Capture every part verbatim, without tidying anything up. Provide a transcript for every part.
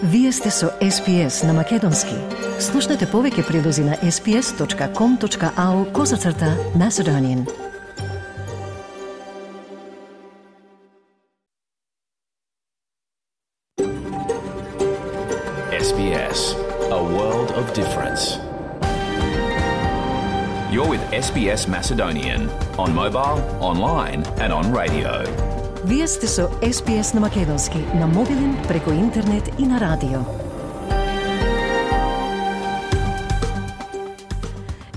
Вие сте со Ес Би Ес на Македонски. Слушнете повеќе прилози на ес би ес точка ком точка ау козацрта Macedonian. Ес Би Ес, a world of difference. You're with Ес Би Ес Macedonian on mobile, online and on radio. Вие сте со Ес Би Ес на Македонски, на мобилен, преку интернет и на радио.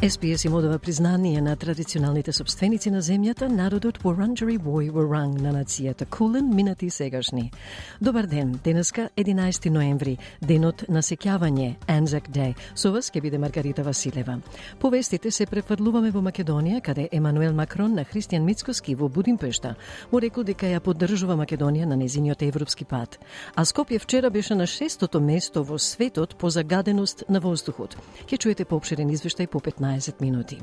Ес Би Ес им одава признание на традиционалните собственици на земјата, народот Wurundjeri Woi Wurrung на нацијата Кулен, минати и сегашни. Добар ден, денеска единаесети ноември, денот на сеќавање, Anzac Day. Со вас ќе биде Маргарита Василева. Повестите се префрлуваме во Македонија, каде Емануел Макрон на Христијан Мицкоски во Будимпешта му рекол дека ја поддржува Македонија на незиниот европски пат. А Скопје вчера беше на шестото место во светот по загаденост на воздухот. Ќе чуете поопширен извештај по петнаесет минути.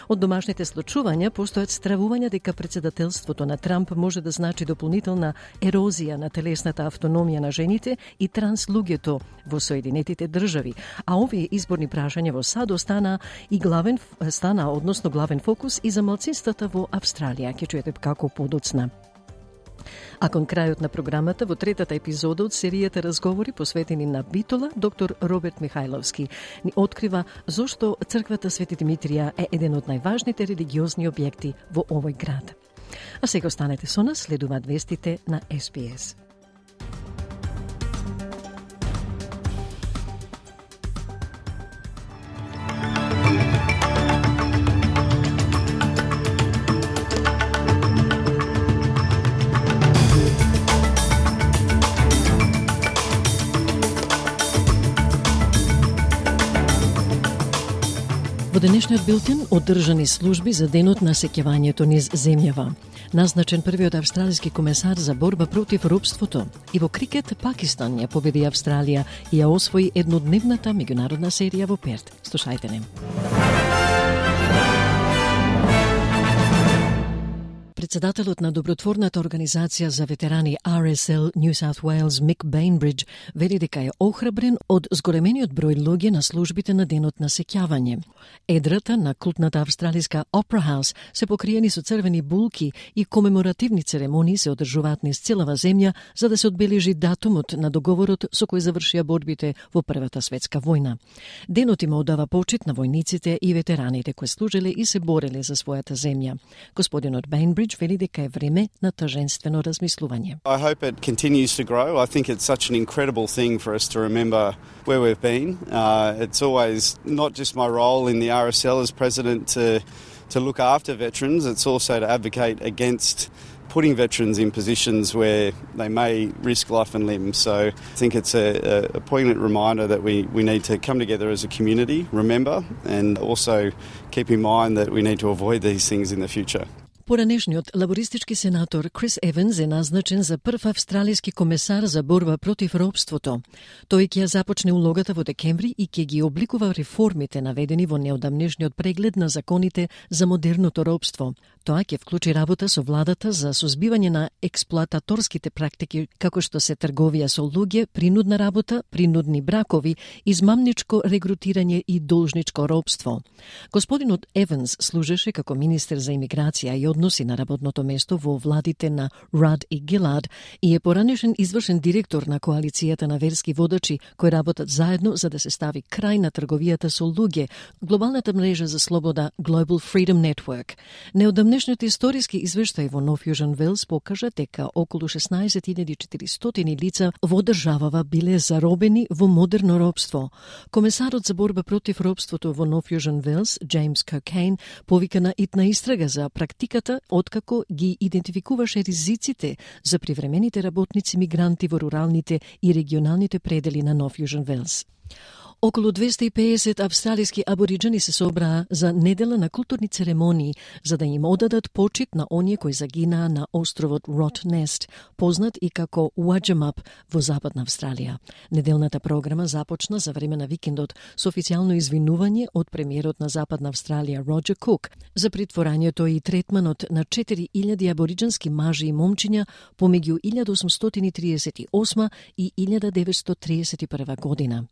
Од домашните случувања постојат стравувања дека председателството на Трамп може да значи дополнителна ерозија на телесната автономија на жените и транслуѓето во Соединетите држави, а овие изборни прашања во САД стана и главен стана односно главен фокус и за малцинствата во Австралија. Ќе чуете како подоцна. А кон крајот на програмата, во третата епизода од серијата разговори посветени на Битола, доктор Роберт Михајловски ни открива зошто црквата Свети Димитрија е еден од најважните религиозни објекти во овој град. А сега останете со нас, следуваат вестите на Ес Би Ес. Во денешниот билтен одржани служби за денот на сеќавањето низ земјава. Назначен првиот австралиски комесар за борба против робството. И во крикет Пакистан ја победи Австралија и ја освои еднодневната меѓународна серија во Перт. Слушајте не. Председателот на добротворната организација за ветерани Ар Ес Ел New South Wales Мик Бейнбридж вели дека е охрабрен од зголемениот број луѓе на службите на денот на сеќавање. Едрата на култната австралиска Опера Хаус се покриени со црвени булки и комеморативни церемонии се одржуваат низ целава земја за да се одбележи датумот на договорот со кој завршија борбите во Првата светска војна. Денот има одава почит на војниците и ветераните кои служеле и се бореле за својата земја. Господинот Бейнбридж вели дека е време на таженствено размислување. I hope it continues to grow. I think it's such an incredible thing for us to remember where we've been. Uh, it's always not just my role in the R S L as president to to look after veterans, it's also to advocate against putting veterans in positions where they may risk life and limb. So I think it's a, a poignant reminder that we, we need to come together as a community, remember, and also keep in mind that we need to avoid these things in the future. Поранешниот лабористички сенатор Крис Еванс е назначен за прв австралиски комесар за борба против робството. Тој ќе ја започне улогата во декември и ќе ги обликува реформите наведени во неодамнешниот преглед на законите за модерното робство. Тоа ќе вклучи работа со владата за сузбивање на експлоататорските практики, како што се трговија со луѓе, принудна работа, принудни бракови, измамничко регрутирање и должничко робство. Господинот Еванс служеше како министер за имиграција и односи на работното место во владите на Рад и Гилад и е поранешен извршен директор на коалицијата на верски водачи кои работат заедно за да се стави крај на трговијата со луѓе, глобалната мрежа за слобода Global Freedom Network. Неодамнешниот историски извештај во Нов Јужен Велс покажа дека околу шеснаесет илјади и четиристотини лица во државава биле заробени во модерно робство. Комесарот за борба против робството во Нов Јужен Велс, Джеймс Кокейн, повика на итна истрага за практиката откако ги идентификуваше ризиците за привремените работници мигранти во руралните и регионалните предели на Нов Јужен Велс. Околу двесте и педесет австралиски абориџани се собраа за недела на културни церемонии за да им одадат почит на оние кои загинаа на островот Ротнест, познат и како Уаџамап во Западна Австралија. Неделната програма започна за време на викендот со официјално извинување од премиерот на Западна Австралија Роџер Кук за притворањето и третманот на четири илјади абориџански мажи и момчиња помеѓу илјада осумстотини и тридесет и осма и илјада деветстотини тридесет и прва година.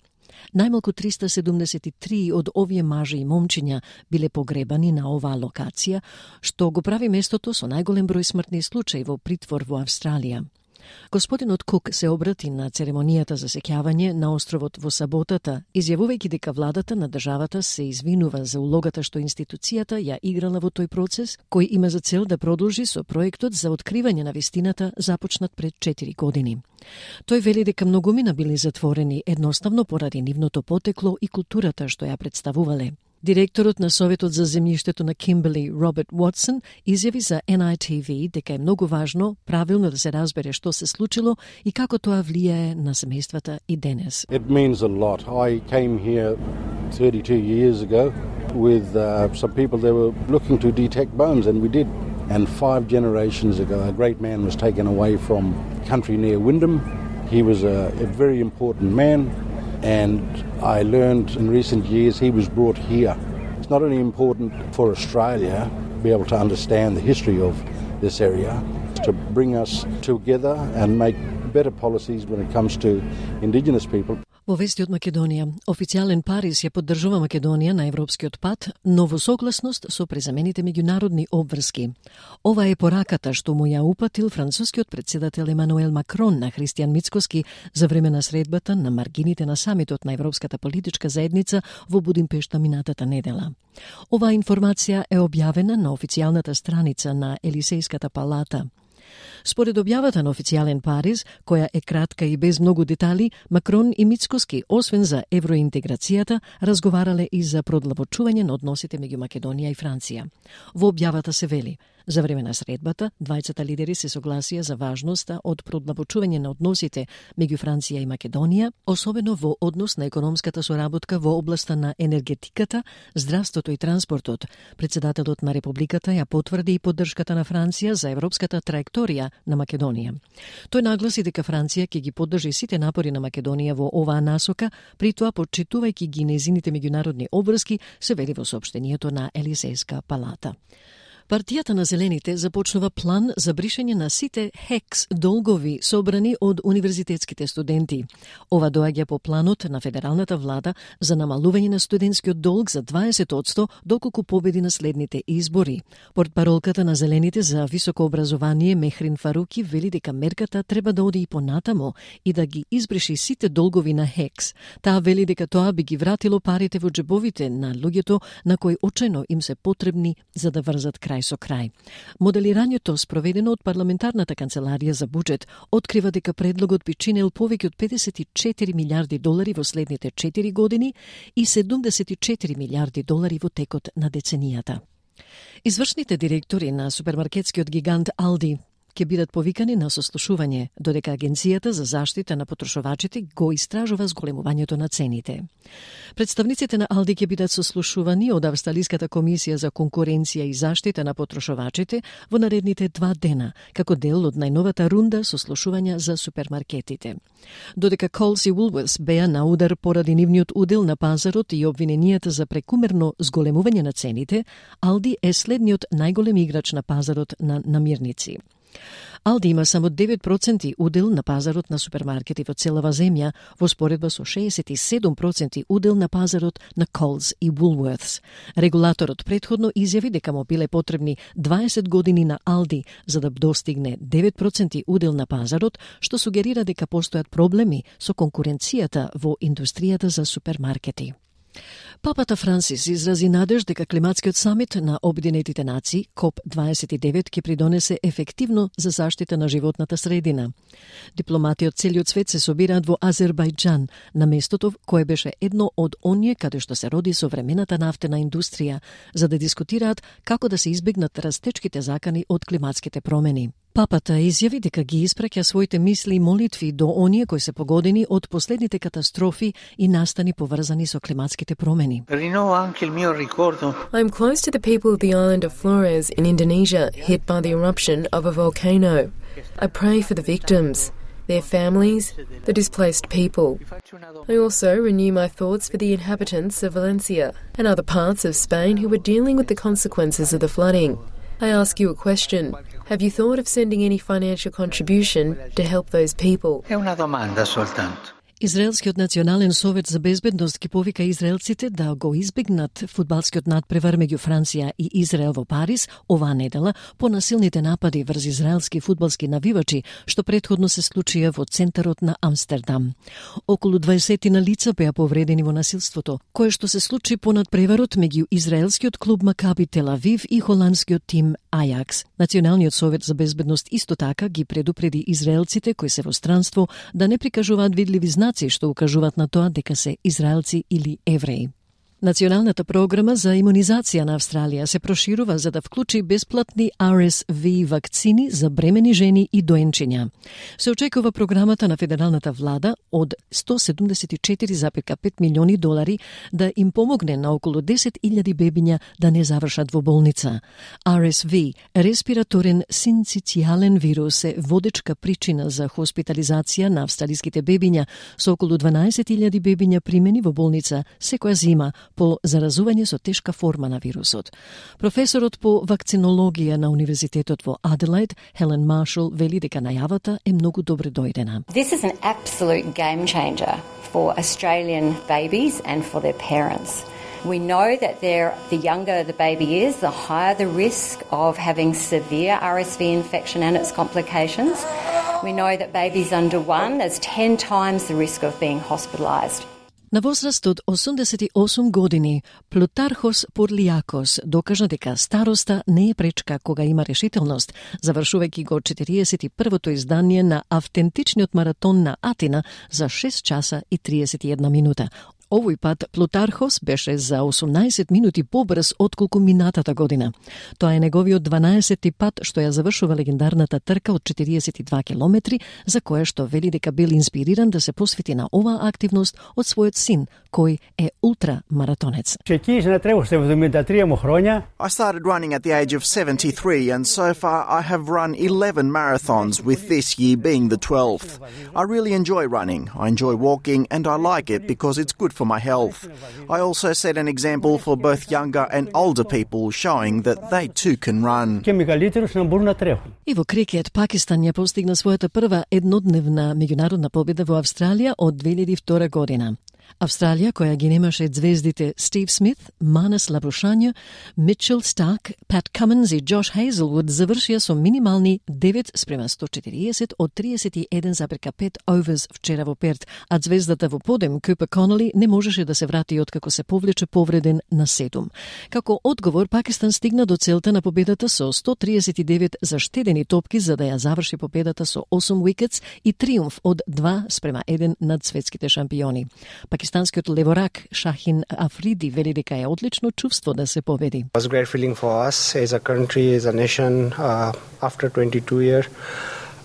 Најмалку триста седумдесет и три од овие мажи и момчиња биле погребани на оваа локација, што го прави местото со најголем број смртни случаи во притвор во Австралија. Господинот Кук се обрати на церемонијата за сеќавање на островот во саботата, изјавувајќи дека владата на државата се извинува за улогата што институцијата ја играла во тој процес, кој има за цел да продолжи со проектот за откривање на вистината започнат пред четири години. Тој вели дека многумина били затворени едноставно поради нивното потекло и културата што ја представувале. Директорот на Советот за земјиштето на Кимберли, Роберт Уотсон, изјави за Ен Ај Ти Ви дека е многу важно правилно да се разбере што се случило и како тоа влијае на семејствата и денес. It means a lot. I came here thirty-two years ago with uh, some people that were looking to detect bones, and we did. And five generations ago, a great man was taken away from country near Wyndham. He was a, a very important man. And I learned in recent years he was brought here. It's not only important for Australia to be able to understand the history of this area, to bring us together and make better policies when it comes to Indigenous people. Во вести од Македонија, официјален Париз ја поддржува Македонија на европскиот пат, но во согласност со презамените меѓународни обврски. Ова е пораката што му ја упатил францускиот председател Емануел Макрон на Христијан Мицкоски за време на средбата на маргините на самитот на Европската политичка заедница во Будимпешта минатата недела. Оваа информација е објавена на официјалната страница на Елисејската палата. Според објавата на официјален Париз, која е кратка и без многу детали, Макрон и Мицкоски, освен за евроинтеграцијата, разговарале и за продлабочување на односите меѓу Македонија и Франција. Во објавата се вели: за време на средбата, двајцата лидери се согласија за важноста од продлабочување на односите меѓу Франција и Македонија, особено во однос на економската соработка во областа на енергетиката, здравството и транспортот. Председателот на Републиката ја потврди и поддршката на Франција за европската траекторија на Македонија. Тој нагласи дека Франција ќе ги поддржи сите напори на Македонија во оваа насока, при тоа почитувајќи ги нејзините меѓународни обврски, се вели во соопштението на Елисејска палата. Партијата на Зелените започнува план за бришење на сите ХЕКС долгови собрани од универзитетските студенти. Ова доаѓа по планот на федералната влада за намалување на студентскиот долг за дваесет одсто доколку победи на следните избори. Портпаролката на Зелените за високо образование Мехрин Фаруки вели дека мерката треба да оди и понатамо и да ги избриши сите долгови на ХЕКС. Таа вели дека тоа би ги вратило парите во џебовите на луѓето на кои очајно им се потребни за да врзат крај со крај. Моделирањето спроведено од парламентарната канцеларија за буџет открива дека предлогот би чинел повеќе од педесет и четири милиарди долари во следните четири години и седумдесет и четири милиарди долари во текот на деценијата. Извршните директори на супермаркетскиот гигант Алди ќе бидат повикани на сослушување, додека Агенцијата за заштита на потрошувачите го истражува зголемувањето на цените. Представниците на Алди ќе бидат сослушувани од Австралиската комисија за конкуренција и заштита на потрошувачите во наредните два дена, како дел од најновата рунда сослушувања за супермаркетите. Додека Coles и Woolworths беа на удар поради нивниот удел на пазарот и обвиненијата за прекумерно зголемување на цените, Алди е следниот најголем играч на пазарот на намирници. Алди има само девет проценти удел на пазарот на супермаркети во целава земја, во споредба со шеесет и седум проценти удел на пазарот на Coles и Woolworths. Регулаторот претходно изјави дека му биле потребни дваесет години на Алди за да достигне девет проценти удел на пазарот, што сугерира дека постојат проблеми со конкуренцијата во индустријата за супермаркети. Папата Франсис изрази надеж дека климатскиот самит на Обединетите нации, коп дваесет и девет, ќе придонесе ефективно за заштита на животната средина. Дипломати од целиот свет се собираат во Азербајџан, на местото кое беше едно од оние каде што се роди современата нафтена индустрија, за да дискутираат како да се избегнат растечките закани од климатските промени. Папата изјави дека ги испраќа своите мисли и молитви до оние кои се погодени од последните катастрофи и настани поврзани со климатските промени. I'm close to the people of the island of Flores in Indonesia hit by the eruption of a volcano. I pray for the victims, their families, the displaced people. I also renew my thoughts for the inhabitants of Valencia and other parts of Spain who are dealing with the consequences of the flooding. I ask you a question. Have you thought of sending any financial contribution to help those people? È una domanda soltanto. Израелскиот национален совет за безбедност ги повика израелците да го избегнат фудбалскиот надпревар меѓу Франција и Израел во Париз оваа недела по насилните напади врз израелски фудбалски навивачи, што претходно се случија во центарот на Амстердам. Околу дваесет на лица беа повредени во насилството, кое што се случи по надпреварот меѓу израелскиот клуб Макаби Тел Авив и холандскиот тим Ајакс. Националниот совет за безбедност исто така ги предупреди израелците кои се во странство да не прикажуваат видливи знаци што укажуваат на тоа дека се израелци или евреи. Националната програма за имунизација на Австралија се проширува за да вклучи бесплатни Ар Ес Ви вакцини за бремени жени и доенчиња. Се очекува програмата на федералната влада од сто седумдесет и четири зарез пет милиони долари да им помогне на околу десет илјади бебиња да не завршат во болница. Ар Ес Ви, респираторен синцитијален вирус, е водечка причина за хоспитализација на австралиските бебиња, со околу дванаесет илјади бебиња примени во болница секоја зима по заразување со тешка форма на вирусот. Професорот по вакцинологија на Универзитетот во Аделаид, Хелен Маршал, вели дека најавата е многу добре дојдена. This is an absolute game changer for Australian babies and for their parents. We know that the younger the baby is, the higher the risk of having severe Ар Ес Ви infection and its complications. We know that babies under one, there's ten times the risk of being hospitalised. На возраст од осумдесет и осум години, Плутархос Порлијакос докажа дека староста не е пречка кога има решителност, завршувајќи го четириесет и првото издание на автентичниот маратон на Атина за шест часа и триесет и една минута. Овој пат Плутархос беше за осумнаесет минути побрз отколку минатата година. Тоа е неговиот дванаесети пат што ја завршува легендарната трка од четириесет и два километри, за која што вели дека бил инспириран да се посвети на оваа активност од својот син, кој е ултрамаратонец. I started running at the age of seventy-three, and so far I have run eleven marathons, with this year being the twelfth. I really enjoy running. I enjoy walking, and I like it because it's good for my health. I also set an example for both younger and older people, showing that they too can run. И во крикет Пакистан ја постигна својата прва еднодневна меѓународна победа во Австралија од две илјади и втора година. Австралија, која ги немаше звездите Стив Смит, Манас Лабрушања, Митчел Старк, Пат Каменс и Джош Хейзелвуд завршија со минимални девет спрема сто четириесет од триесет и еден зарез пет оверс вчера во Перт, а звездата во подем Купер Конели не можеше да се врати откако се повлече повреден на седум. Како одговор, Пакистан стигна до целта на победата со сто триесет и девет заштедени топки за да ја заврши победата со осум уикетс и триумф од два спрема еден над светските шампиони. Пакистанскиот леворак Шахин Африди вели дека е одлично чувство да се победи. It was a great feeling for us as a country, as a nation. Uh, after twenty-two years,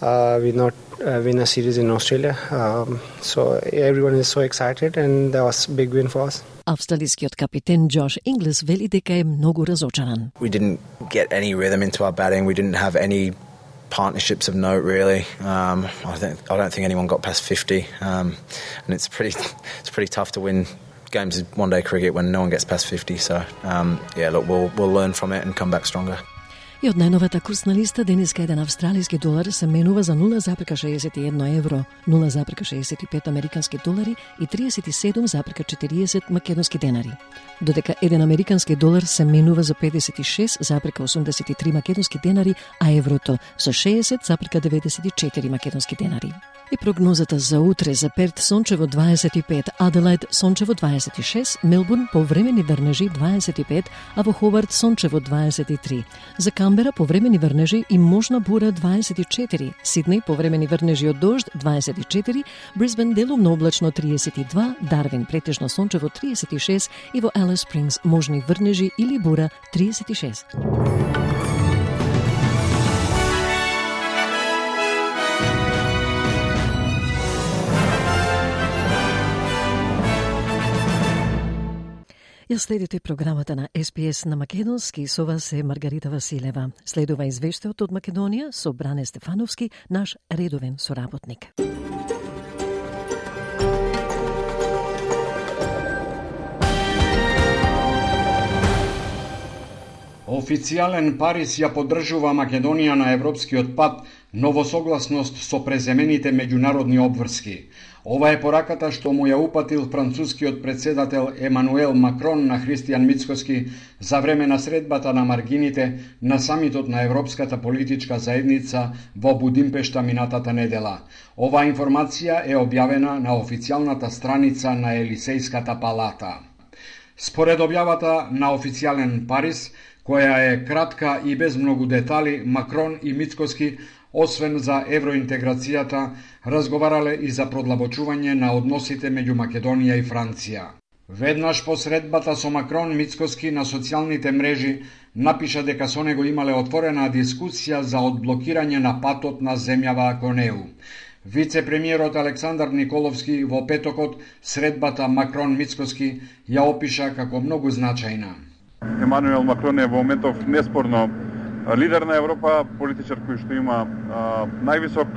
uh, we not uh, win a series in Australia. Um, so everyone is so excited, and that was a big win for us. Австралискиот капитен Джош Инглес вели дека е многу разочаран. We didn't get any rhythm into our batting. We didn't have any partnerships of note, really. Um, I think I don't think anyone got past fifty, um, and it's pretty it's pretty tough to win games in one-day cricket when no one gets past fifty. So um, yeah, look, we'll we'll learn from it and come back stronger. И од најновата курсна листа денеска еден австралиски долар се менува за нула зарез шеесет и едно евро, нула зарез шеесет и пет американски долари и триесет и седум зарез четириесет македонски денари. Додека еден американски долар се менува за педесет и шест зарез осумдесет и три македонски денари, а еврото за шеесет зарез деветдесет и четири македонски денари. И прогнозата за утре: за Перт сончево дваесет и пет, Аделаид сончево дваесет и шест, Мелбурн повремени врнежи дваесет и пет, а во Ховард сончево дваесет и три. За Камбера повремени врнежи и можна бура дваесет и четири, Сиднеј повремени врнежи од дожд дваесет и четири, Брисбен делумно облачно триесет и два, Дарвин претежно сончево триесет и шест и во Алис Спрингс можни врнежи или бура триесет и шест. Ја следите програмата на Ес Би Ес на македонски, со вас е Маргарита Василева. Следува извештајот од Македонија со Бране Стефановски, наш редовен соработник. Официјален Париз ја поддржува Македонија на европскиот пат, но во согласност со преземените меѓународни обврски. Ова е пораката што му ја упатил францускиот председател Емануел Макрон на Христијан Мицкоски за време на средбата на маргините на самитот на Европската политичка заедница во Будимпешта минатата недела. Оваа информација е објавена на официјалната страница на Елисејската палата. Според објавата на официјален Париз, која е кратка и без многу детали, Макрон и Мицкоски, освен за евроинтеграцијата, разговарале и за продлабочување на односите меѓу Македонија и Франција. Веднаш по средбата со Макрон, Мицкоски на социјалните мрежи напиша дека со него имале отворена дискусија за одблокирање на патот на земјава кон Е У. Вице-премиерот Александар Николовски во петокот средбата Макрон-Мицкоски ја опиша како многу значајна. Емануел Макрон е во моментов неспорно лидер на Европа, политичар кој што има а, највисок,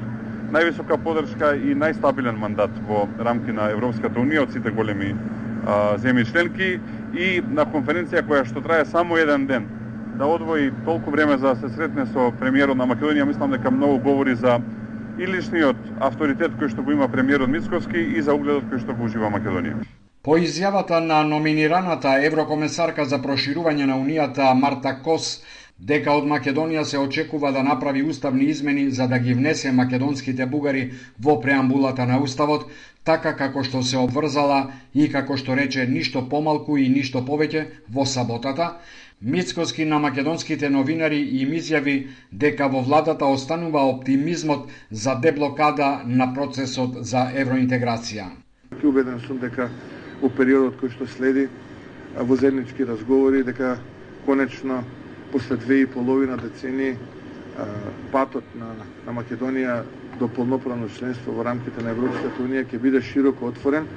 највисока поддршка и најстабилен мандат во рамки на Европската Унија од сите големи а, земји членки, и на конференција која што трае само еден ден да одвои толку време за да се сретне со премиерот на Македонија, мислам дека многу говори за и личниот авторитет кој што го има премиерот Мицкоски и за угледот кој што го ужива Македонија. По изјавата на номинираната еврокомесарка за проширување на Унијата Марта Кос, дека од Македонија се очекува да направи уставни измени за да ги внесе македонските бугари во преамбулата на Уставот, така како што се обврзала и како што рече ништо помалку и ништо повеќе во саботата, Мицкоски на македонските новинари им изјави дека во владата останува оптимизмот за деблокада на процесот за евроинтеграција. Убеден сум дека во периодот кој што следи во заеднички разговори, дека конечно после две и половина децени патот на, на Македонија до полноправно членство во рамките на Европската Унија ќе биде широко отворен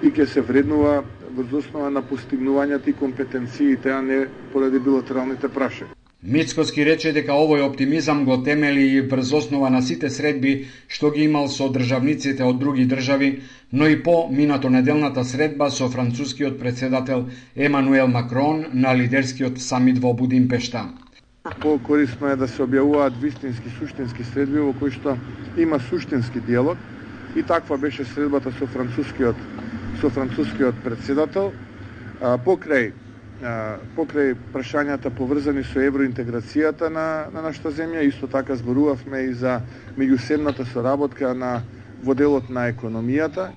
и ќе се вреднува врз основа на постигнувањата и компетенциите, а не поради билатералните прашања. Мицкоски рече дека овој оптимизам го темели и врз основа на сите средби што ги имал со државниците од други држави, но и по минато неделната средба со францускиот председател Емануел Макрон на лидерскиот самит во Будимпешта. По-корисно е да се објавуваат вистински, суштински средби во кои што има суштински диалог, и таква беше средбата со францускиот со францускиот председател покрај покрај прашањата поврзани со евроинтеграцијата на, на нашата земја. Исто така зборувавме и за меѓусебната соработка на во делот на економијата.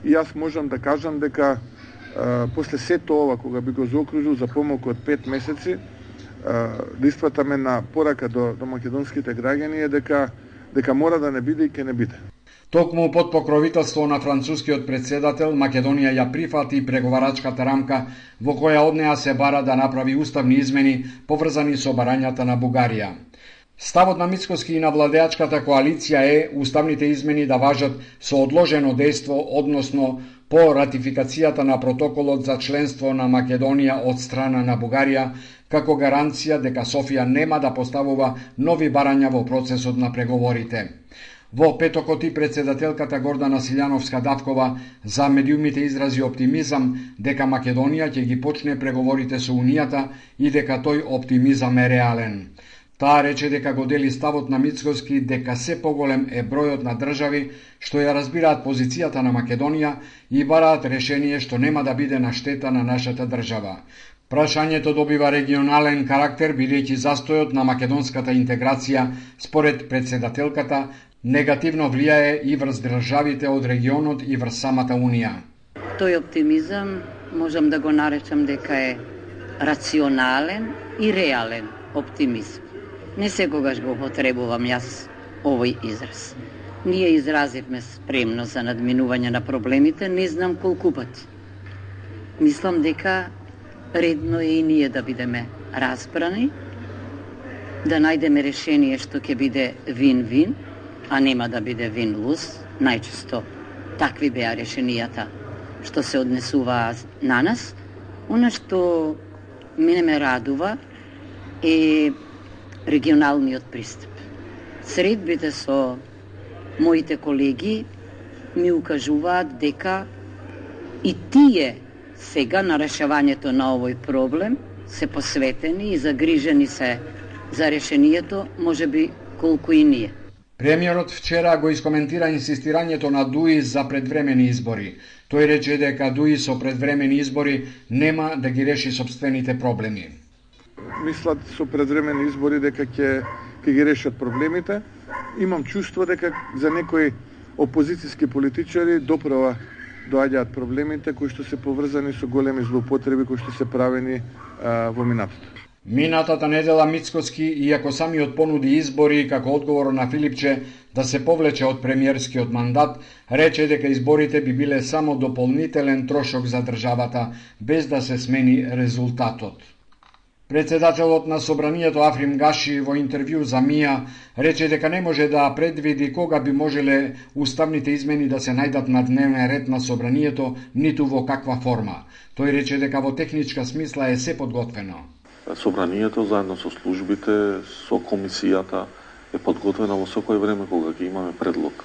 И јас можам да кажам дека а, после сето ова, кога би го заокружил за помалку од пет месеци, а, да испратаме на порака до, до македонските граѓани е дека дека мора да не биде и ќе не биде. Токму под покровителство на францускиот председател, Македонија ја прифати преговарачката рамка во која од неа се бара да направи уставни измени поврзани со барањата на Бугарија. Ставот на Мицкоски и на владеачката коалиција е уставните измени да важат со одложено дејство, односно по ратификацијата на протоколот за членство на Македонија од страна на Бугарија, како гаранција дека Софија нема да поставува нови барања во процесот на преговорите. Во петокот и председателката Гордана Силјановска-Давкова за медиумите изрази оптимизам дека Македонија ќе ги почне преговорите со Унијата и дека тој оптимизам е реален. Таа рече дека го дели ставот на Мицкоски дека се поголем е бројот на држави што ја разбираат позицијата на Македонија и бараат решение што нема да биде на штета на нашата држава. Прашањето добива регионален карактер бидејќи застојот на македонската интеграција според председателката негативно влијае и врз државите од регионот и врз самата Унија. Тој оптимизам можам да го наречам дека е рационален и реален оптимизм. Не секогаш го потребувам јас овој израз. Ние изразивме спремност за надминување на проблемите, не знам колку пати. Мислам дека редно е и ние да бидеме разбрани, да најдеме решение што ќе биде вин-вин, а нема да биде вин-луз. Најчесто такви беа решенијата што се однесуваа на нас, Оно што мене ме радува е регионалниот пристап. Средбите со моите колеги ми укажуваат дека и тие сега на решавањето на овој проблем се посветени и загрижени се за решението, можеби колку и ние. Премиерот вчера го искоментира инсистирањето на ДУИ за предвремени избори. Тој рече дека ДУИ со предвремени избори нема да ги реши собствените проблеми. Мислат со предвремени избори дека ќе ќе ги решат проблемите. Имам чувство дека за некои опозицијски политичари доправа доаѓаат проблемите кои што се поврзани со големи злоупотреби кои што се правени а, во минатото. Минатата недела Мицкоски, иако самиот понуди избори како одговор на Филипче да се повлече од премиерскиот мандат, рече дека изборите би биле само дополнителен трошок за државата, без да се смени резултатот. Председателот на Собранието Африм Гаши во интервју за Мија рече дека не може да предвиди кога би можеле уставните измени да се најдат на дневен ред на Собранието, ниту во каква форма. Тој рече дека во техничка смисла е се подготвено. Собранието заедно со службите, со комисијата е подготвено во секој време кога ќе имаме предлог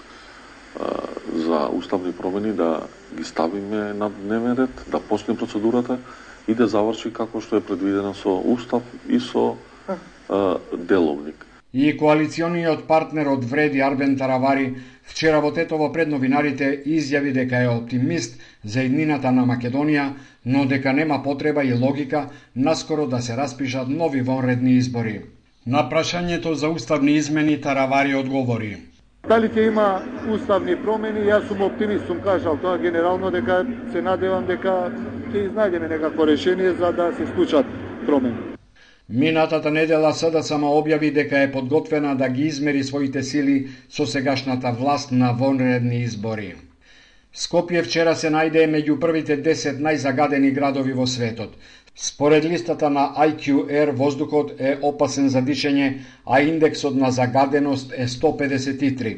за уставни промени да ги ставиме на дневен ред, да почне процедурата и да заврши како што е предвидено со устав и со а, деловник. И коалициониот партнер од Вреди Арбен Таравари вчера во Тетово пред новинарите изјави дека е оптимист за иднината на Македонија, но дека нема потреба и логика наскоро да се распишат нови вонредни избори. На прашањето за уставни измени Таравари одговори: Дали ќе има уставни промени? Јас сум оптимист, сум кажал тоа генерално, дека се надевам дека ќе изнајдеме некакво решение за да се случат промени. Минатата недела СДСМ објави дека е подготвена да ги измери своите сили со сегашната власт на вонредни избори. Скопје вчера се најде меѓу првите десет најзагадени градови во светот. Според листата на ај кју ер, воздухот е опасен за дишење, а индексот на загаденост е сто педесет и три.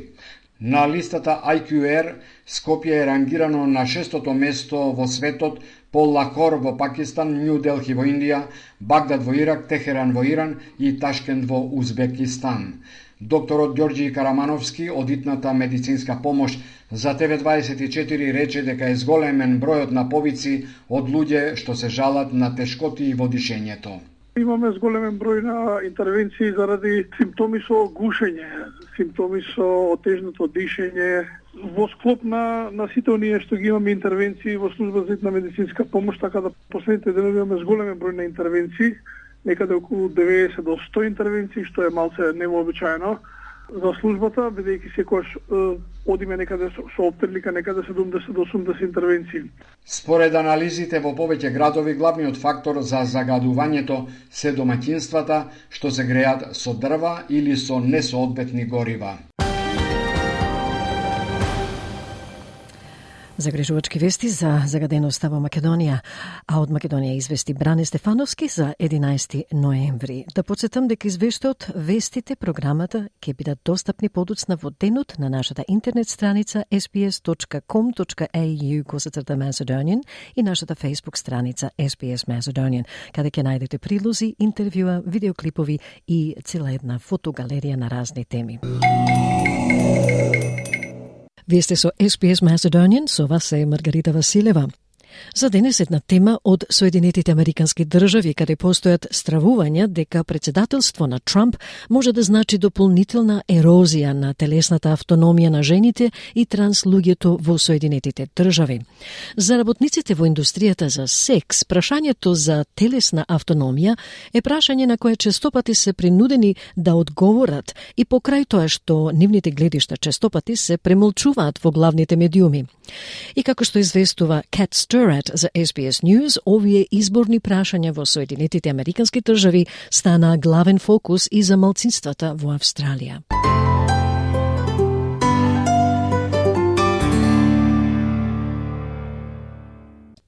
На листата ај кју ер, Скопје е рангирано на шестото место во светот по Лахор во Пакистан, Нју Делхи во Индија, Багдад во Ирак, Техеран во Иран и Ташкент во Узбекистан. Докторот Ѓорѓи Карамановски од итната медицинска помош за Те Ве дваесет и четири рече дека е зголемен бројот на повици од луѓе што се жалат на тешкоти во дишењето. Имаме зголемен број на интервенции заради симптоми со гушење, симптоми со отежното дишење. Во склоп на, на сите оние што ги имаме интервенции во служба за hitna медицинска помош, така да последните денови имаме зголемен број на интервенции, некаде околу деветдесет до сто интервенции, што е малце невообичаено за службата, бидејќи секогаш е, одиме некаде со, со оптрилика некаде седумдесет до осумдесет интервенции. Според анализите во повеќе градови, главниот фактор за загадувањето се домаќинствата што се греат со дрва или со несоодветни горива. Загрижувачки вести за загаденоста во Македонија, а од Македонија извести Бране Стефановски за единаесети ноември. Да подсетам дека извештаот, вестите, програмата ќе бидат достапни подоцна во денот на нашата интернет страница ес би ес точка ком точка ей ю косацрта Macedonian и нашата Facebook страница ес би ес Macedonian, каде ќе најдете прилози, интервјуа, видеоклипови и цела една фотогалерија на разни теми. Вие сте со ес би ес Macedonian, со вас е Маргарита Василева. За денес една тема од Соединетите Американски држави, каде постојат стравувања дека председателство на Трамп може да значи дополнителна ерозија на телесната автономија на жените и транслуѓето во Соединетите држави. За работниците во индустријата за секс, прашањето за телесна автономија е прашање на кое честопати се принудени да одговорат и покрај тоа што нивните гледишта честопати се премолчуваат во главните медиуми. И како што известува Cat Sturrat за ес би ес News, овие изборни прашања во Соединетите Американски држави стана главен фокус и за малцинствата во Австралија.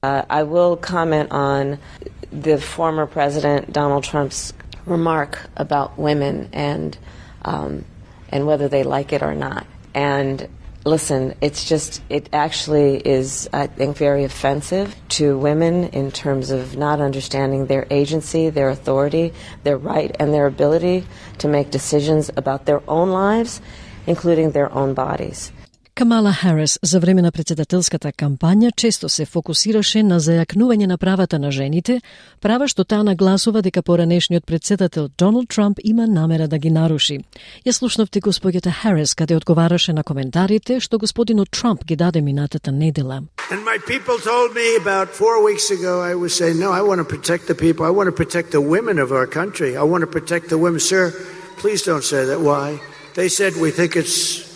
Uh, I will comment on the former President Donald Trump's remark about women and um, and whether they like it or not. And Listen, it's just, it actually is, I think, very offensive to women in terms of not understanding their agency, their authority, their right and their ability to make decisions about their own lives, including their own bodies. Камала Харис за време на председателската кампања често се фокусираше на зајакнување на правата на жените, права што таа нагласува дека поранешниот председател Доналд Трамп има намера да ги наруши. Ја слушнавте господјата Харис каде одговараше на коментарите што господинот Трамп ги даде минатата недела. And my people told me about four weeks ago, I was saying, no, I want to protect the people. I want to protect the women of our country. I want to protect the women. Sir, please don't say that. Why? They said, we think it's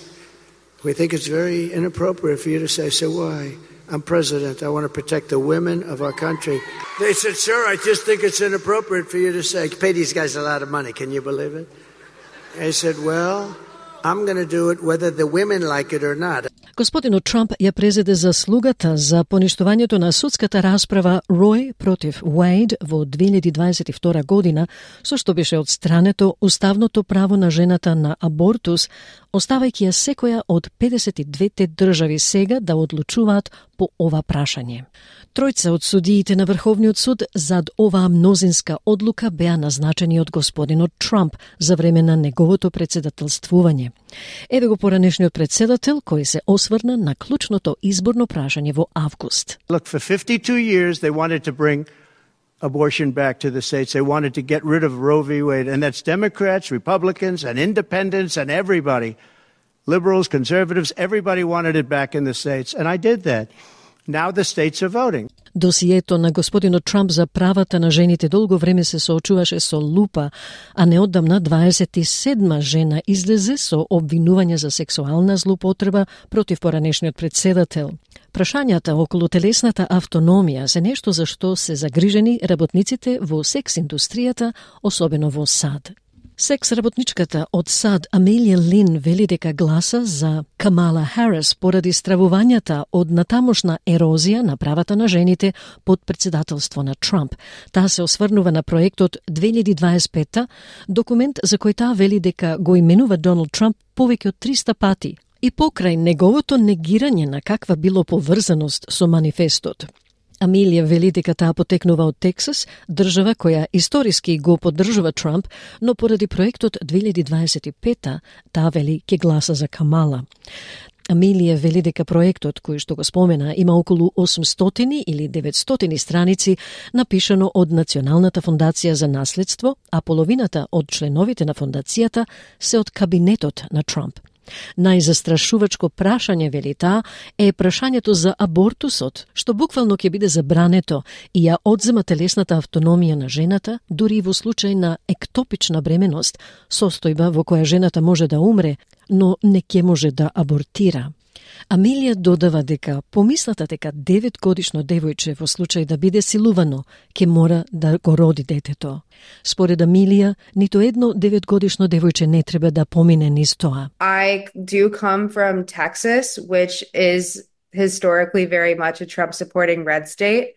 We think it's very inappropriate for you to say, so why? I'm president. I want to protect the women of our country. They said, sir, I just think it's inappropriate for you to say, pay these guys a lot of money. Can you believe it? I said, well, I'm going to do it whether the women like it or not. Господинот Трамп ја презеде заслугата за поништувањето на судската расправа Рој против Уейд во две илјади дваесет и втора година, со што беше отстрането уставното право на жената на абортус, оставајќи ја секоја од педесет и двете држави сега да одлучуваат по ова прашање. Тројца од судиите на Врховниот суд зад оваа мнозинска одлука беа назначени од господинот Трамп за време на неговото председателствување. Еве го поранешниот председател кој се осврна на клучното изборно прашање во август. Look, for fifty-two years they wanted to bring abortion back to the states. They wanted to get rid of Roe v. Wade, and that's Democrats, Republicans, and independents, and everybody. Liberals, conservatives, everybody wanted it back in the states, and I did that. Now the states are voting. Досието на господинот Трамп за правата на жените долго време се соочуваше со лупа, а неодамна дваесет и седма жена излезе со обвинување за сексуална злоупотреба против поранешниот председател. Прашањата околу телесната автономија се нешто за што се загрижени работниците во секс индустријата, особено во САД. Секс работничката од САД Амелија Лин вели дека гласа за Камала Харис поради стравувањата од натамошна ерозија на правата на жените под председателство на Трамп. Таа се осврнува на проектот две илјади дваесет и пета, документ за кој таа вели дека го именува Доналд Трамп повеќе од триста пати и покрај неговото негирање на каква било поврзаност со манифестот. Амелија вели дека таа потекнува од Тексас, држава која историски го поддржува Трамп, но поради проектот две илјади дваесет и пета, таа вели ќе гласа за Камала. Амелија вели дека проектот, кој што го спомена, има околу осумстотини или деветстотини страници, напишано од Националната фондација за наследство, а половината од членовите на фондацијата се од кабинетот на Трамп. Најзастрашувачко прашање, вели таа, е прашањето за абортусот, што буквално ќе биде забрането и ја одзема телесната автономија на жената, дури и во случај на ектопична бременост, состојба во која жената може да умре, но не ќе може да абортира. Амелија додава дека помислата дека деветгодишно девојче во случај да биде силувано, ќе мора да го роди детето. Според Амелија, ниту едно деветгодишно девојче не треба да помине низ тоа. I do come from Texas, which is historically very much a Trump-supporting red state,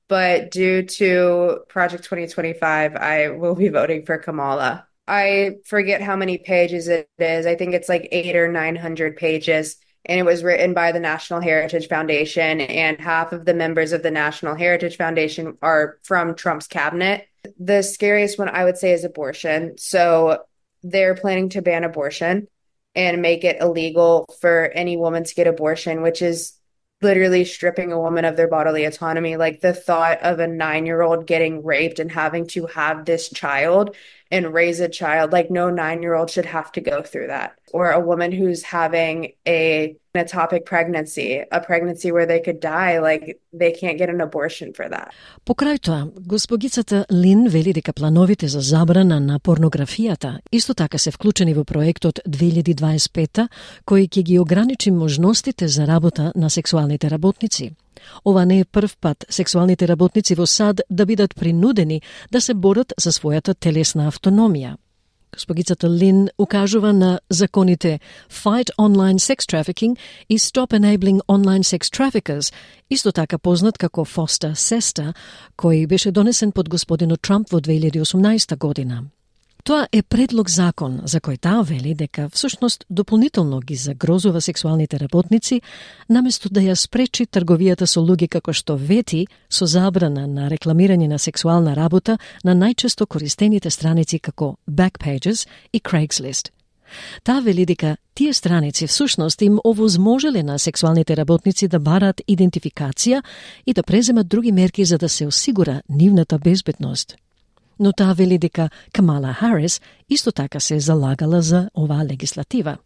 but due to Project twenty twenty-five, I will be voting for Kamala. I forget how many pages it is. I think it's like eight or nine hundred pages. And it was written by the National Heritage Foundation, and half of the members of the National Heritage Foundation are from Trump's cabinet. The scariest one, I would say, is abortion. So they're planning to ban abortion and make it illegal for any woman to get abortion, which is literally stripping a woman of their bodily autonomy. Like the thought of a nine-year-old getting raped and having to have this child and raise a child, like no nine-year-old should have to go through that. Or a woman who's having a an ectopic pregnancy, a pregnancy where they could die, like they can't get an abortion for that. Покрај тоа, госпогицата Лин вели дека плановите за забрана на порнографијата исто така се вклучени во проектот две илјади дваесет и пета, кој ќе ги ограничи можностите за работа на сексуалните работници. Ова не е прв пат сексуалните работници во САД да бидат принудени да се борат за својата телесна автономија. Госпогицата Лин укажува на законите Fight Online Sex Trafficking и Stop Enabling Online Sex Traffickers, исто така познат како FOSTA-SESTA, кој беше донесен под господинот Трамп во две илјади и осумнаесета година. Тоа е предлог закон за кој таа вели дека всушност дополнително ги загрозува сексуалните работници, наместо да ја спречи трговијата со луѓе како што вети со забрана на рекламирање на сексуална работа на најчесто користените страници како Backpages и Craigslist. Таа вели дека тие страници всушност им овозможеле на сексуалните работници да бараат идентификација и да преземат други мерки за да се осигура нивната безбедност. Но таа вели дека Камала Харис исто така се залагала за оваа легислатива.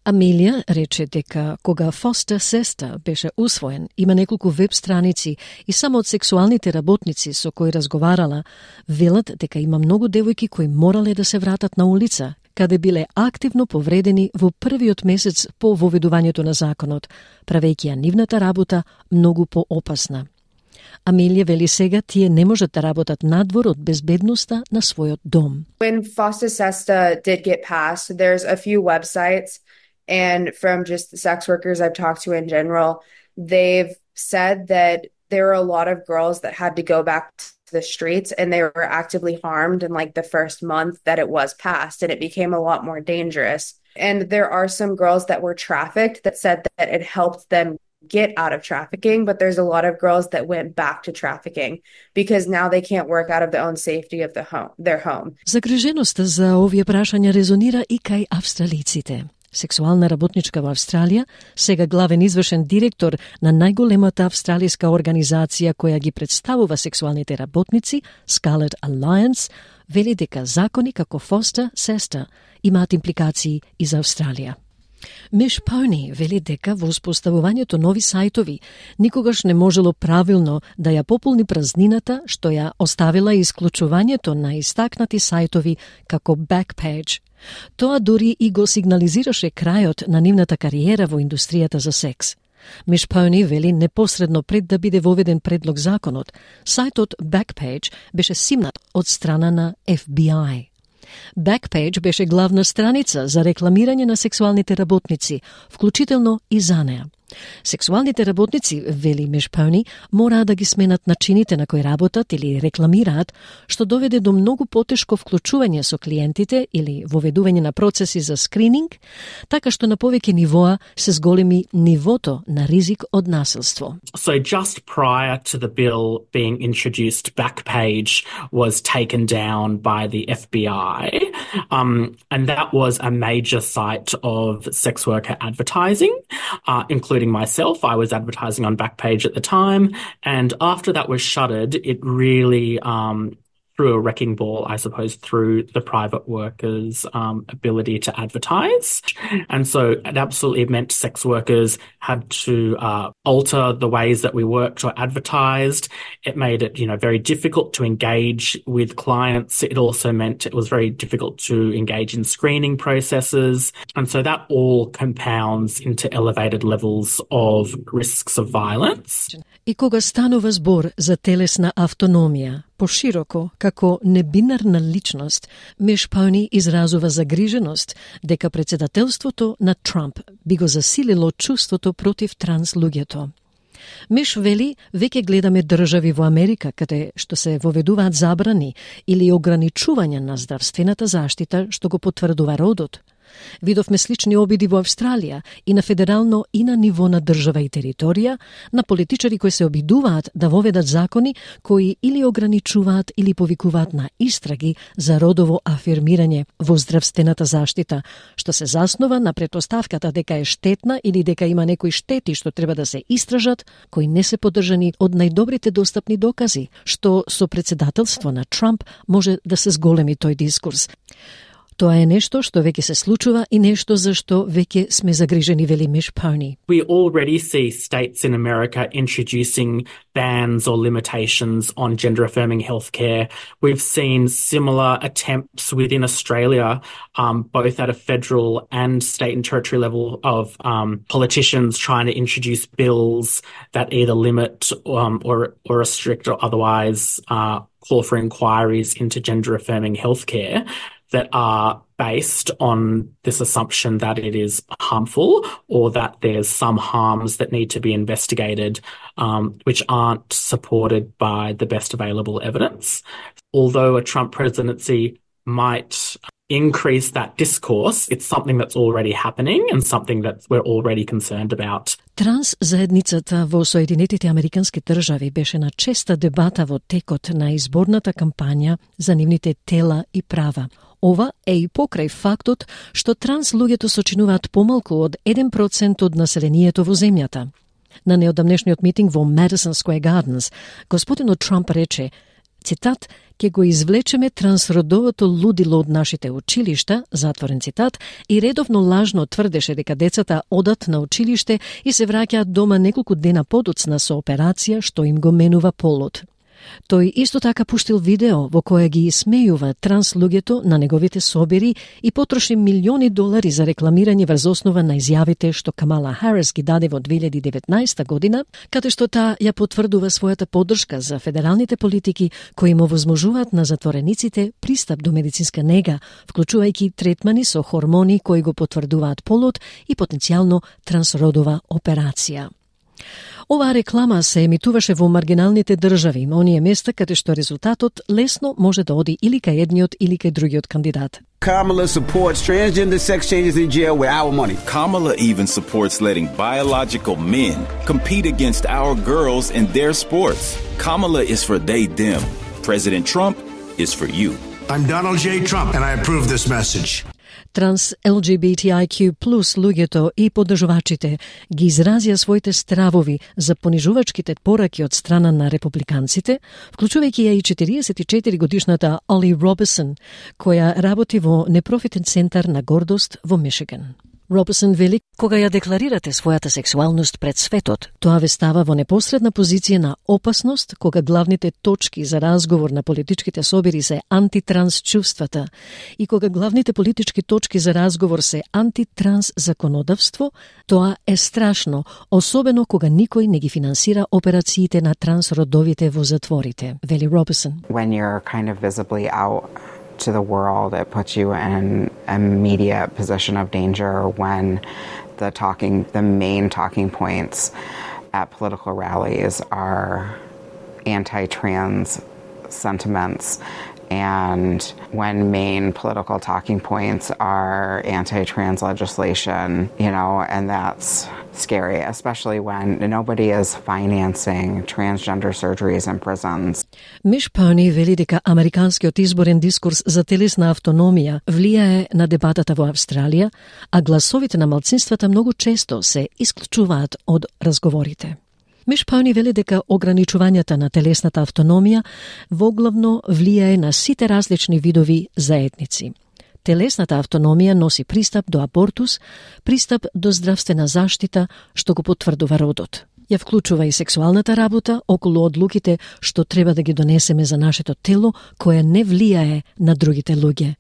Амелија рече дека кога Foster Sister беше усвоен, има неколку веб страници и само од сексуалните работници со кои разговарала, велат дека има многу девојки кои морале да се вратат на улица, каде биле активно повредени во првиот месец по воведувањето на законот, правејќи ја нивната работа многу поопасна. Амелија вели сега тие не можат да работат надвор од безбедноста на својот дом. When FOSTA SESTA did get passed, there's a few websites, and from just the sex workers I've talked to in general, they've said that there were a lot of girls that had to go back to the streets and they were actively harmed in like the first month that it was passed, and it became a lot more dangerous. And there are some girls that were trafficked that said that it helped them get out of trafficking, but there's a lot of girls that went back to trafficking because now they can't work out of their own safety of the home, their home. Загриженоста за овие прашања резонира и кај австралиците. Сексуална работничка во Австралија, сега главен извршен директор на најголемата австралиска организација која ги представува сексуалните работници, Scarlet Alliance, вели дека закони како Foster SESTA имаат импликации и за Австралија. Миш Пони вели дека во успоставувањето нови сајтови никогаш не можело правилно да ја пополни празнината што ја оставила исклучувањето на истакнати сајтови како Backpage. Тоа дури и го сигнализираше крајот на нивната кариера во индустријата за секс. Миш Пони вели непосредно пред да биде воведен предлог законот, сајтот Backpage беше симнат од страна на Ф Би Ај. Backpage беше главна страница за рекламирање на сексуалните работници, вклучително и за неа. Сексуалните работници, вели Миш Пони, мораа да ги сменат начините на кои работат или рекламираат, што доведе до многу потешко вклучување со клиентите или воведување на процеси за скрининг, така што на повеќе нивоа се зголеми нивото на ризик од насилство. So just prior to the bill being introduced, Backpage was taken down by the F B I, um, and that was a major site of sex worker advertising, uh, including myself. I was advertising on Backpage at the time, and after that was shuttered, it really um, threw a wrecking ball, I suppose, through the private workers' um, ability to advertise. And so it absolutely meant sex workers had to uh, alter the ways that we worked or advertised. It made it, you know, very difficult to engage with clients. It also meant it was very difficult to engage in screening processes. And so that all compounds into elevated levels of risks of violence. И кога станува збор за телесна автономија, пошироко, како небинарна личност, Миш Пони изразува загриженост дека председателството на Трамп би го засилило чувството против транс луѓето. Миш вели, веќе гледаме држави во Америка каде што се воведуваат забрани или ограничувања на здравствената заштита што го потврдува родот. Видовме слични обиди во Австралија и на федерално и на ниво на држава и територија, на политичари кои се обидуваат да воведат закони кои или ограничуваат или повикуваат на истраги за родово афирмирање во здравствената заштита, што се заснова на претпоставката дека е штетна или дека има некои штети што треба да се истражат, кои не се поддржани од најдобрите достапни докази, што со председателство на Трамп може да се зголеми тој дискурс. Тоа е нешто што веќе се случува и нешто за што веќе сме загрижени, вели Миш Пони. We already see states in America introducing bans or limitations on gender-affirming healthcare. We've seen similar attempts within Australia, um, both at a federal and state and territory level, of um, politicians trying to introduce bills that either limit um, or, or restrict or otherwise uh, call for inquiries into gender-affirming healthcare that are based on this assumption that it is harmful or that there's some harms that need to be investigated, um, which aren't supported by the best available evidence. Although a Trump presidency might increase that discourse. It's something that's already happening and something that we're already concerned about. Транс заедницата во Соединетите Американски држави беше на честа дебата во текот на изборната кампања за нивните тела и права. Ова е и покрај фактот што транс луѓето сочинуваат помалку од еден процент од населението во земјата. На неодамнешниот митинг во Madison Square Gardens, господинот Трамп рече, цитат, «Ке го извлечеме трансродовото лудило од нашите училишта», затворен цитат, и редовно лажно тврдеше дека децата одат на училиште и се враќаат дома неколку дена подоцна со операција што им го менува полот. Тој исто така пуштил видео во кое ги исмејува транс луѓето на неговите собери и потроши милиони долари за рекламирање врз основа на изјавите што Камала Харис ги даде во две илјади и деветнаесета година, каде што таа ја потврдува својата поддршка за федералните политики кои им овозможуваат на затворениците пристап до медицинска нега, вклучувајќи третмани со хормони кои го потврдуваат полот и потенцијално трансродова операција. Оваа реклама се емитуваше во маргиналните држави, оние места каде што резултатот лесно може да оди или кај едниот или кај другиот кандидат. Kamala supports transgender sex changes in jail with our money. Kamala even supports letting biological men compete against our girls in their sports. Kamala is for they, them. President Trump is for you. I'm Donald J. Trump and I approve this message. Транс Ел Джи Би Ти Ај Кју плюс луѓето и поддржувачите ги изразија своите стравови за понижувачките пораки од страна на републиканците, вклучувајќи ја и четириесет и четири годишната Оли Робинсон, која работи во непрофитен центар на гордост во Мишиган. Робинсон вели, кога ја декларирате својата сексуалност пред светот, тоа ве става во непосредна позиција на опасност кога главните точки за разговор на политичките собери се антитранс чувствата и кога главните политички точки за разговор се антитранс законодавство, тоа е страшно, особено кога никој не ги финансира операциите на трансродовите во затворите, вели Робинсон. When you're kind of visibly out to the world, it puts you in an immediate position of danger when the talking, the main talking points at political rallies are anti-trans sentiments, and when main political talking points are anti-trans legislation, you know, and that's scary, especially when nobody is financing transgender surgeries in prisons. Миш Пауни вели дека американскиот изборен дискурс за телесна автономија влијае на дебатата во Австралија, а гласовите на малцинствата многу често се исклучуваат од разговорите. Миш Пауни вели дека ограничувањата на телесната автономија воглавно влијае на сите различни видови заедници. Телесната автономија носи пристап до абортус, пристап до здравствена заштита, што го потврдува родот. Ја вклучува и сексуалната работа околу одлуките што треба да ги донесеме за нашето тело, која не влијае на другите луѓе.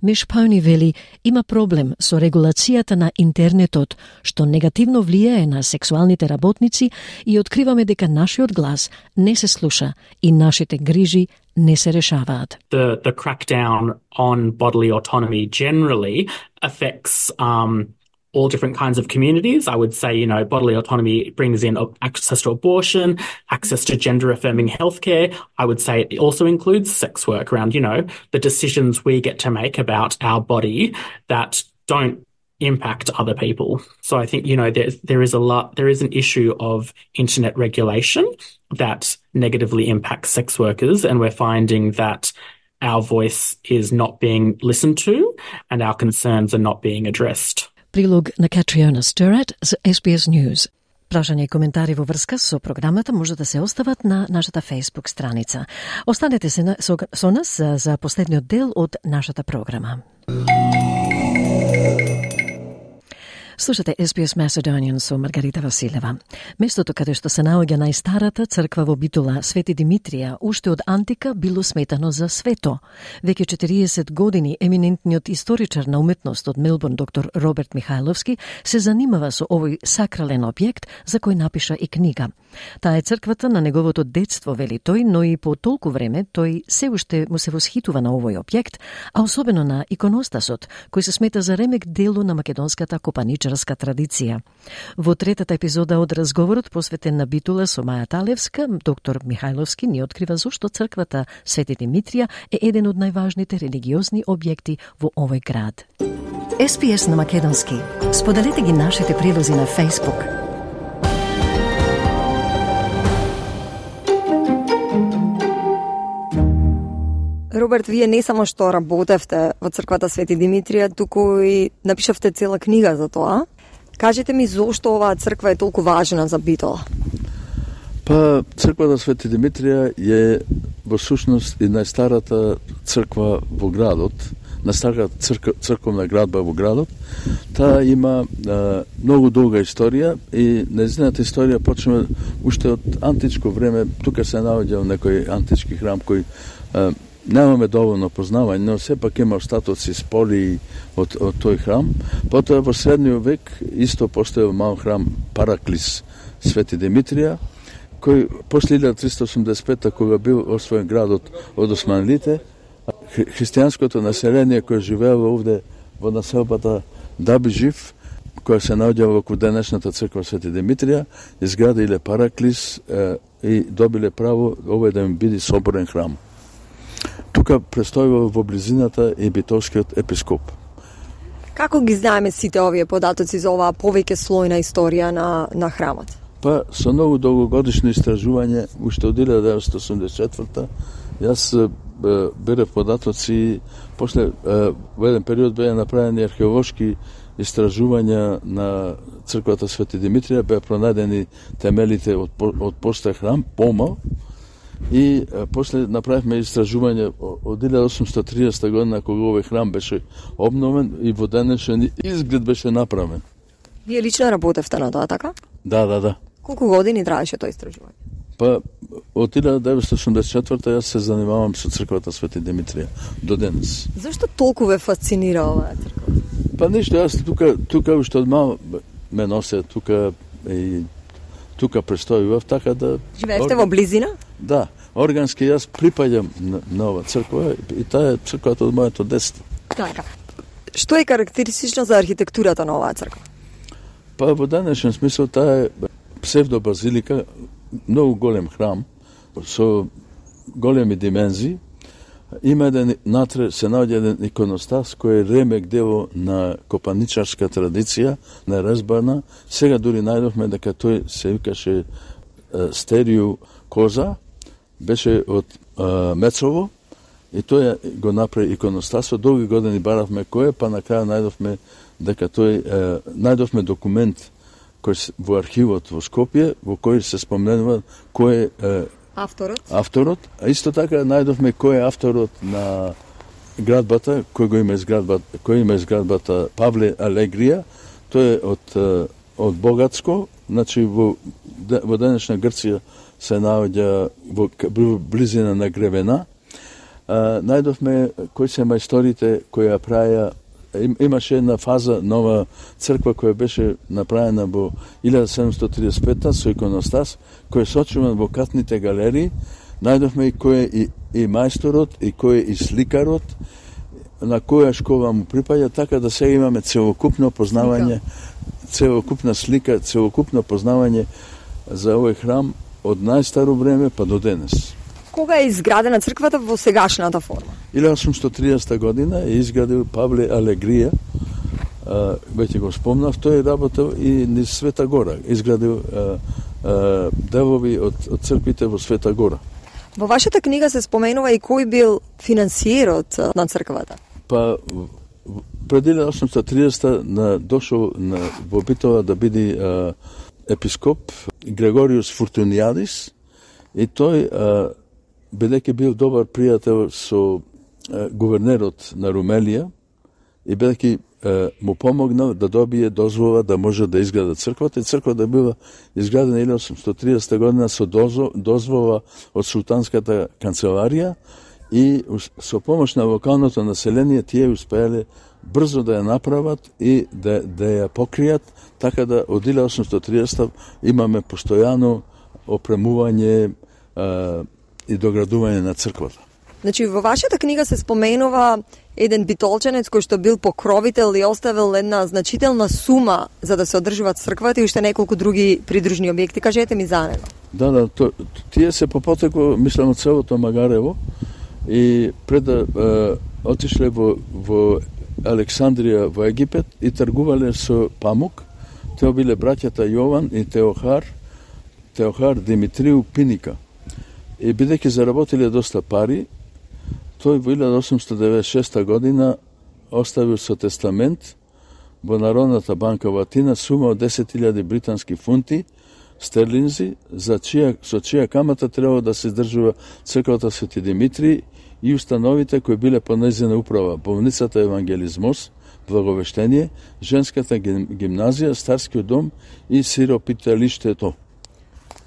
Миш Пауни вели, има проблем со регулацијата на интернетот, што негативно влијае на сексуалните работници и откриваме дека нашиот глас не се слуша и нашите грижи не се решаваат. The, the crackdown on bodily autonomy generally affects um, all different kinds of communities. I would say, you know, bodily autonomy brings in access to abortion, access to gender-affirming healthcare. I would say it also includes sex work around, you know, the decisions we get to make about our body that don't impact other people. So I think, you know, there, there is a lot, there is an issue of internet regulation that negatively impacts sex workers, and we're finding that our voice is not being listened to and our concerns are not being addressed. Прилог на Катриона Стерат за Ес Би Ес News. Прашања и коментари во врска со програмата може да се остават на нашата Facebook страница. Останете се на, со, со нас за, за последниот дел од нашата програма. Слушате Ес Би Ес Macedonian со Маргарита Василева. Местото каде што се наоѓа најстарата црква во Битола, Свети Димитрија, уште од антика било сметано за свето. Веќе четириесет години еминентниот историчар на уметност од Мелбурн, доктор Роберт Михајловски, се занимава со овој сакрален објект за кој напиша и книга. Таа е црквата на неговото детство, вели тој, но и по толку време тој се уште му се восхитува на овој објект, а особено на иконостасот, кој се смета за ремек дело на македонската копаничка католичарска традиција. Во третата епизода од разговорот посветен на Битула со Маја Талевска, доктор Михајловски ни открива зошто црквата Свети Димитрија е еден од најважните религиозни објекти во овој град. Ес Пи Ес на македонски. Споделете ги нашите прилози на Facebook. Роберт, вие не само што работевте во црквата Свети Димитрија, туку и напишавте цела книга за тоа. Кажете ми зошто оваа црква е толку важна за Битола? Па, црквата Свети Димитрија е во сушност и најстарата црква во градот, најстарата црк, црковна градба во градот. Таа има а, многу долга историја и нејзината историја почнува уште од античко време. Тука се наоѓа некој антички храм кој а, немаме доволно познавање, но сепак има остатоци спори од, од тој храм. Потоа во средниот век исто постоел мал храм Параклис Свети Димитрија, кој после илјада триста осумдесет и пета, кога бил освоен градот од османлите, хри, христијанското население кој живеело овде во населбата Дабижив, која се наоѓа во денешната црква Свети Димитрија, изградиле Параклис е, и добиле право овој да им биде соборен храм. Тука престојува во близината и битолскиот епископ. Како ги знаеме сите овие податоци за оваа повеќе слојна историја на, на храмот? Па, со многу долгогодишно истражување, уште од илјада деветстотини осумдесет и четврта, јас е, берев податоци, после е, во еден период беа направени археолошки истражувања на црквата Свети Димитрија, беа пронајдени темелите од, од постој храм, помал, и а, после направивме истражување од илјада осумстотини и тридесета година, кога овој храм беше обновен и во денешен изглед беше направен. Вие лично работевте на тоа, така? Да, да, да. Колку години траеше тоа истражување? Па, од илјада деветстотини осумдесет и четврта јас се занимавам со црквата Свети Димитрија до денес. Зашто толку ве фасцинира оваа црква? Па нешто, јас тука, тука уште од мал ме носе, тука и тука престојував, така да... Живеевте во близина? Да, органски јас припаѓам на, на ова црква и таа е црквата од моето детство. Така. Што е карактеристично за архитектурата на оваа црква? Па во денешен смисол таа е псевдобазилика, многу голем храм со големи димензии. Има еден натре се наоѓа еден иконостас кој е ремек дело на копаничарска традиција, неразбарна. Сега дури најдовме дека тој се викаше Стерију Коза, беше од а, Мецово и тој го направи иконостасот. Долги години баравме кој е, па на крај најдовме дека тој е, најдовме документ кој во архивот во Скопје во кој се споменува кој е авторот. Авторот, а исто така најдовме кој е авторот на градбата, кој го има изградбата, кој има изградбата Павле Алегрија. Тој е од од Богатско, значи во во денешна Грција се наоѓа во близина на Гревена. А, најдовме кои се мајсторите кои ја праја. Им, имаше една фаза нова црква која беше направена во илјада седумстотини тридесет и пета со иконостас, кој е сочуван во катните галерии. Најдовме и кој е и, и мајсторот, и кој е и сликарот, на која школа му припаѓа, така да сега имаме целокупно познавање, целокупна слика, целокупно познавање за овој храм од најстаро време па до денес. Кога е изградена црквата во сегашната форма? илјада осумстотини и тридесета година е изградил Павле Алегрија, а, веќе го спомнав, тој работел и низ Света Гора, изградил а, а, делови од, од црквите во Света Гора. Во вашата книга се споменува и кој бил финансиерот на црквата? Па, пред илјада осумстотини и тридесета на, дошол на, во Битола да биде а, епископ Грегориус Фуртунијадис и тој а, бидејќи бил добар пријател со е, гувернерот на Румелија и бидејќи му помогнал да добие дозвола да може да изграда црквата, и црквата била изградена илјада осумстотини и тридесета година со дозвола од султанската канцеларија и со помош на локалното население тие успеале брзо да ја направат и да, да ја покријат, така да од илјада осумстотини и тридесета имаме постојано опремување а, и доградување на црквата. Значи, во вашата книга се споменува еден битолченец кој што бил покровител и оставил една значителна сума за да се одржуваат црквата и уште неколку други придружни објекти. Кажете ми за него. Да, да, то, тие се по потеку, мислам, од целото Магарево и пред да е, отишле во, во Александрија во Египет и тргувале со памук. Тео биле браќата Јован и Теохар, Теохар Димитрију Пиника. И бидејќи заработиле доста пари, тој во илјада осумстотини деветдесет и шеста година оставил со тестамент во Народната банка во Атина сума од десет илјади британски фунти стерлинзи, за чија, со чија камата требало да се издржува црквата Свети Димитрий и установите кои биле под нејзина управа, болницата Евангелизмос, Благовештение, женската гимназија, старскиот дом и сиропиталиштето.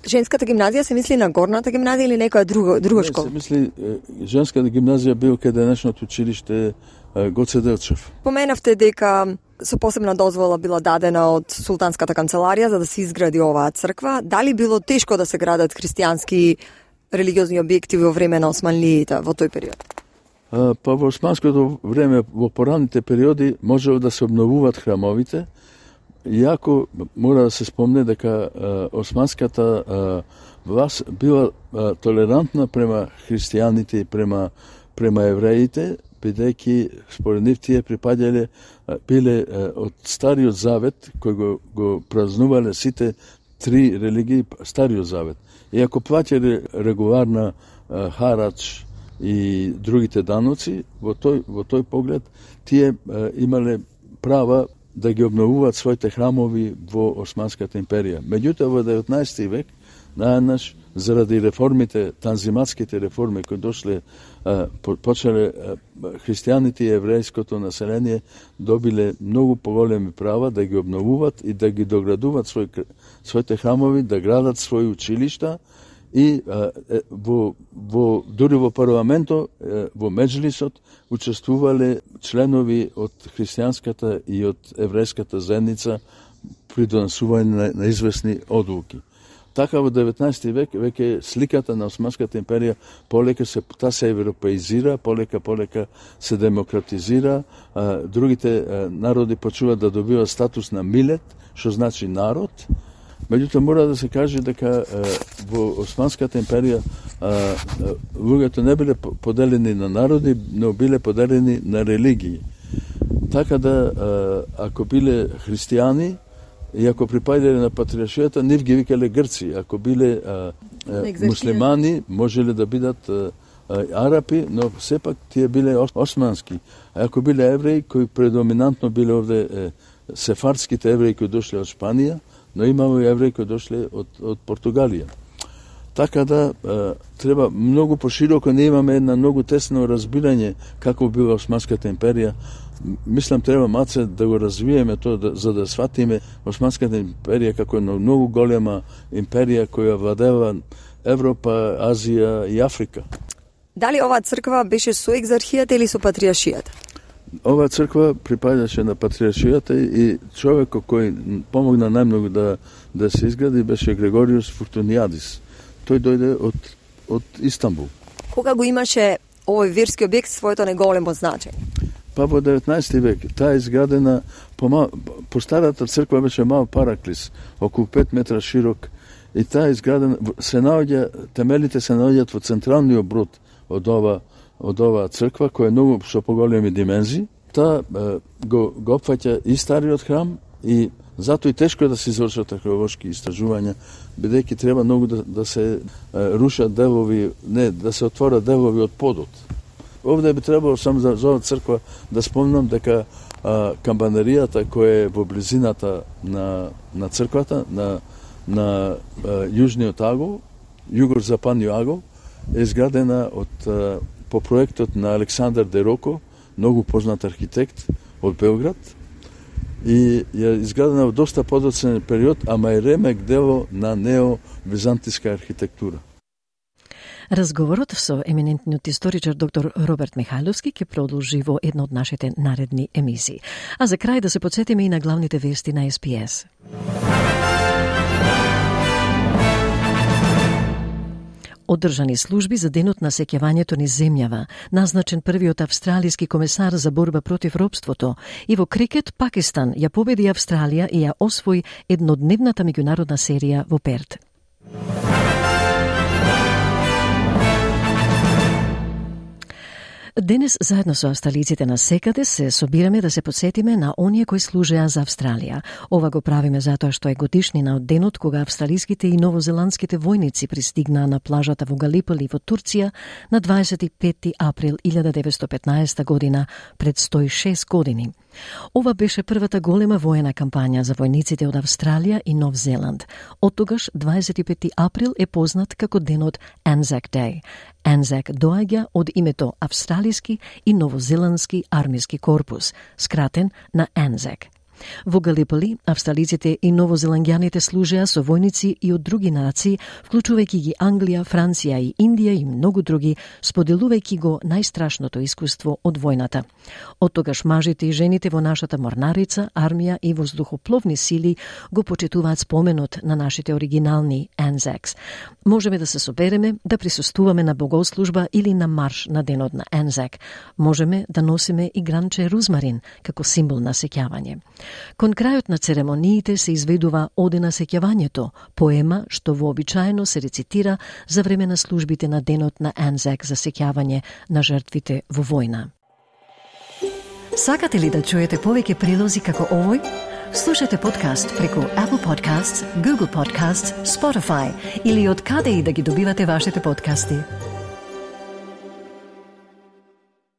Женската гимназија се мисли на горната гимназија или некоја друга друга Не, школа? се мисли женската гимназија бил каде денешното училиште Гоце Делчев. Поменавте дека со посебна дозвола била дадена од султанската канцеларија за да се изгради оваа црква. Дали било тешко да се градат христијански религиозни објекти во време на османлиите во тој период? А, па во османското време, во пораните периоди, можело да се обновуваат храмовите, иако мора да се спомне дека а, османската а, власт била а, толерантна према христијаните и према, према евреите, бидејќи според нив тие припаѓале, биле а, од Стариот Завет, кој го, го празнувале сите три религии, Стариот Завет. И ако плаќале регуларна а, харач и другите даноци, во тој, во тој поглед, тие а, имале права да ги обновуваат своите храмови во Османската империја. Меѓутоа, во деветнаесети век, наеднаш, заради реформите, танзиматските реформи кои дошле, а, почеле а, христијаните и еврејското население добиле многу поголеми права да ги обновуваат и да ги доградуваат свој, своите храмови, да градат своји училишта и а, е, во, во, дури во парламентот, е, во Меджлисот, учествувале членови од христијанската и од еврејската заедница при донесување на, на известни одлуки. Така во деветнаесети век веќе сликата на Османската империја полека се та се европеизира, полека полека се демократизира, а, другите а, народи почнуваат да добиваат статус на милет, што значи народ. Меѓутоа мора да се каже дека а, во Османската империја а, а, луѓето не биле поделени на народи, но биле поделени на религии. Така да а, ако биле христијани и ако припаѓале на патриаршијата, нив ги викале грци. Ако биле а, а, муслимани, можеле да бидат а, а, арапи, но сепак тие биле османски. А ако биле евреи, кои предоминантно биле овде е, сефардските евреи кои дошле од Шпанија, но имаме и евреи кои дошле од, од Португалија. Така да а, треба многу пошироко, не имаме една многу тесно разбирање како била Османската империја. Мислам, треба маце да го развиеме тоа, да, за да сватиме Османската империја како една многу голема империја која владева Европа, Азија и Африка. Дали оваа црква беше со екзархијата или со патриаршијата? Оваа црква припаѓаше на патриаршијата и човекот кој помогна најмногу да, да се изгради беше Грегориус Фортуниадис. Тој дојде од, од Истанбул. Кога го имаше овој верски објект своето неголемо значење? Па во деветнаесети век. Таа е изградена по, мал, по старата црква беше мал параклис, околу пет метра широк, и таа е изградена, се наоѓа, темелите се наоѓаат во централниот брод од ова од оваа црква, која е многу со поголеми димензии. Таа е, го, го опфаќа и стариот храм, и затоа и тешко е да се извршат археолошки истражувања, бидејќи треба многу да, да се е, рушат делови, не, да се отворат делови од подот. Овде би требало само за, за оваа црква да спомнам дека а, камбанеријата која е во близината на, на црквата, на, на а, јужниот агол, југозападниот агол, е изградена од а, по проектот на Александар Дероко, многу познат архитект од Белград, и е изградена во доста подоцнен период, ама е ремек дело на нео-византиска архитектура. Разговорот со еминентниот историчар доктор Роберт Михайловски ќе продолжи во една од нашите наредни емисии. А за крај да се подсетиме и на главните вести на Ес Би Ес. Одржани служби за денот на сеќавањето низ земјава, назначен првиот австралиски комесар за борба против робството, и во крикет Пакистан ја победи Австралија и ја освои еднодневната меѓународна серија во Перт. Денес, заедно со австралиците на секаде, се собираме да се подсетиме на оние кои служеа за Австралија. Ова го правиме затоа што е годишнина од денот кога австралиските и новозеландските војници пристигнаа на плажата во Галиполи во Турција на дваесет и петти април илјада деветстотини и петнаесета година, пред сто и шест години. Ова беше првата голема воена кампања за војниците од Австралија и Нов Зеланд. Оттогаш дваесет и петти април е познат како денот Anzac Day. Anzac доаѓа од името Австралиски и Новозеландски армиски корпус, скратен на Anzac. Во Галиполи, австралиците и новозеландјаните служеа со војници и од други нации, вклучувајќи ги Англија, Франција и Индија и многу други, споделувајќи го најстрашното искуство од војната. Оттогаш мажите и жените во нашата морнарица, армија и воздухопловни сили го почитуваат споменот на нашите оригинални Anzacs. Можеме да се собереме, да присуствуваме на богослужба или на марш на денот на Anzac. Можеме да носиме и гранче рузмарин како символ на сеќавање. Кон крајот на церемониите се изведува Оде на сеќавањето, поема што вообичаено се рецитира за време на службите на денот на Anzac за сеќавање на жртвите во војна. Сакате ли да чуете повеќе прилози како овој? Слушате подкаст преку Apple Podcasts, Google Podcasts, Spotify или од каде и да ги добивате вашите подкасти.